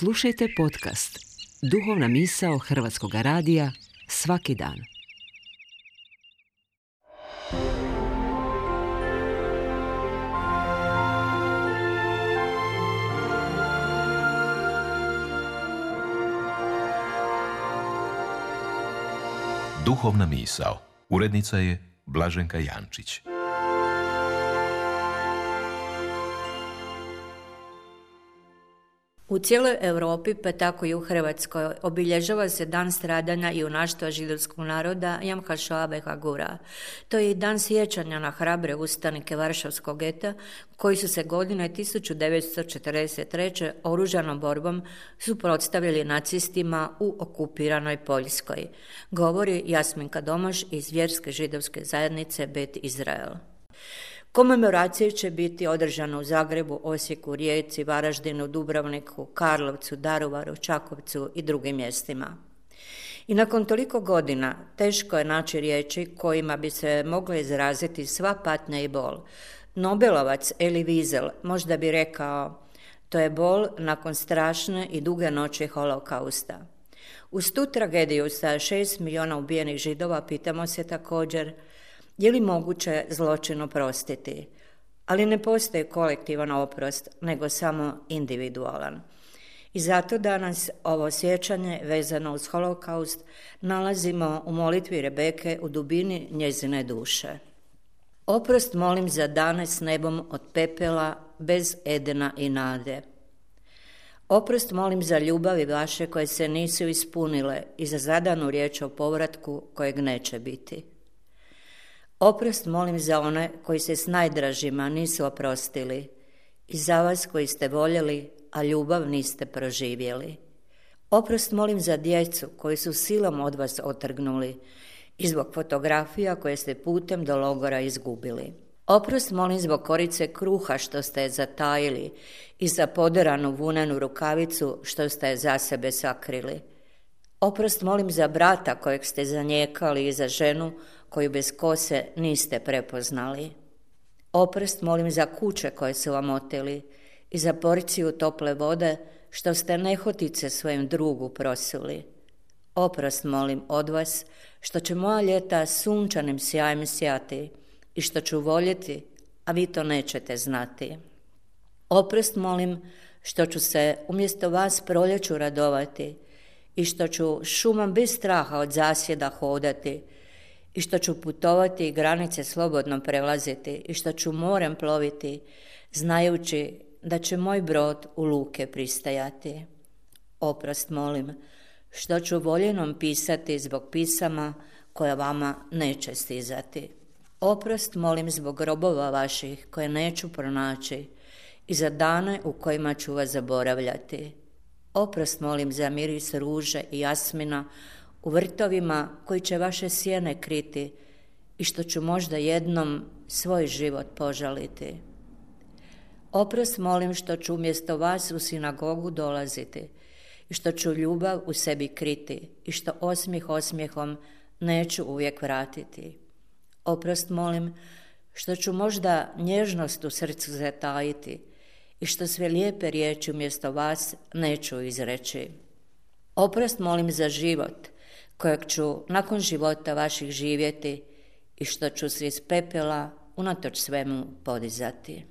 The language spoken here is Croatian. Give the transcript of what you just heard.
Slušajte podcast Duhovna misao Hrvatskog radija svaki dan. Duhovna misao. Urednica je Blaženka Jančić. U cijeloj Europi, pa tako i u Hrvatskoj, obilježava se dan stradanja i junaštva židovskog naroda Jam HaShoah VeHaGvura. To je i dan sjećanja na hrabre ustanike Varšavskog geta, koji su se godine 1943. oružanom borbom suprotstavili nacistima u okupiranoj Poljskoj. Govori Jasminka Domaš iz vjerske židovske zajednice Bet Izrael. Komemoracije će biti održane u Zagrebu, Osijeku, Rijeci, Varaždinu, Dubrovniku, Karlovcu, Daruvaru, Čakovcu i drugim mjestima. I nakon toliko godina teško je naći riječi kojima bi se mogla izraziti sva patnja i bol. Nobelovac Elie Wiesel možda bi rekao: to je bol nakon strašne i duge noći holokausta. Uz tu tragediju sa 6 milijuna ubijenih Židova pitamo se također: je li moguće zločin oprostiti? Ali ne postoji kolektivan oprost, nego samo individualan. I zato danas ovo sjećanje vezano uz holokaust nalazimo u molitvi Rebeke u dubini njezine duše. Oprost molim za dane s nebom od pepela, bez Edena i nade. Oprost molim za ljubavi vaše koje se nisu ispunile i za zadanu riječ o povratku kojeg neće biti. Oprost molim za one koji se s najdražima nisu oprostili i za vas koji ste voljeli, a ljubav niste proživjeli. Oprost molim za djecu koji su silom od vas otrgnuli i zbog fotografija koje ste putem do logora izgubili. Oprost molim zbog korice kruha što ste je zatajili i za poderanu vunenu rukavicu što ste je za sebe sakrili. Oprost molim za brata kojeg ste zanijekali i za ženu koju bez kose niste prepoznali. Oprost molim za kuće koje su vam oteli i za porciju tople vode što ste nehotice svojem drugu prosuli. Oprost molim od vas što će moja ljeta sunčanim sjajem sjati i što ću voljeti, a vi to nećete znati. Oprost molim što ću se umjesto vas proljeću radovati i što ću šumom bez straha od zasjeda hodati i što ću putovati i granice slobodno prelaziti i što ću morem ploviti, znajući da će moj brod u luke pristajati. Oprost molim što ću voljenom pisati zbog pisama koja vama neće stizati. Oprost molim zbog grobova vaših koje neću pronaći i za dane u kojima ću vas zaboravljati. Oprost molim za miris ruže i jasmina u vrtovima koji će vaše sjene kriti i što ću možda jednom svoj život požaliti. Oprost molim što ću umjesto vas u sinagogu dolaziti i što ću ljubav u sebi kriti i što osmijeh osmijehom neću uvijek vratiti. Oprost molim što ću možda nježnost u srcu zatajiti i što sve lijepe riječi umjesto vas neću izreći. Oprost molim za život kojeg ću nakon života vaših živjeti i što ću se iz pepela unatoč svemu podizati.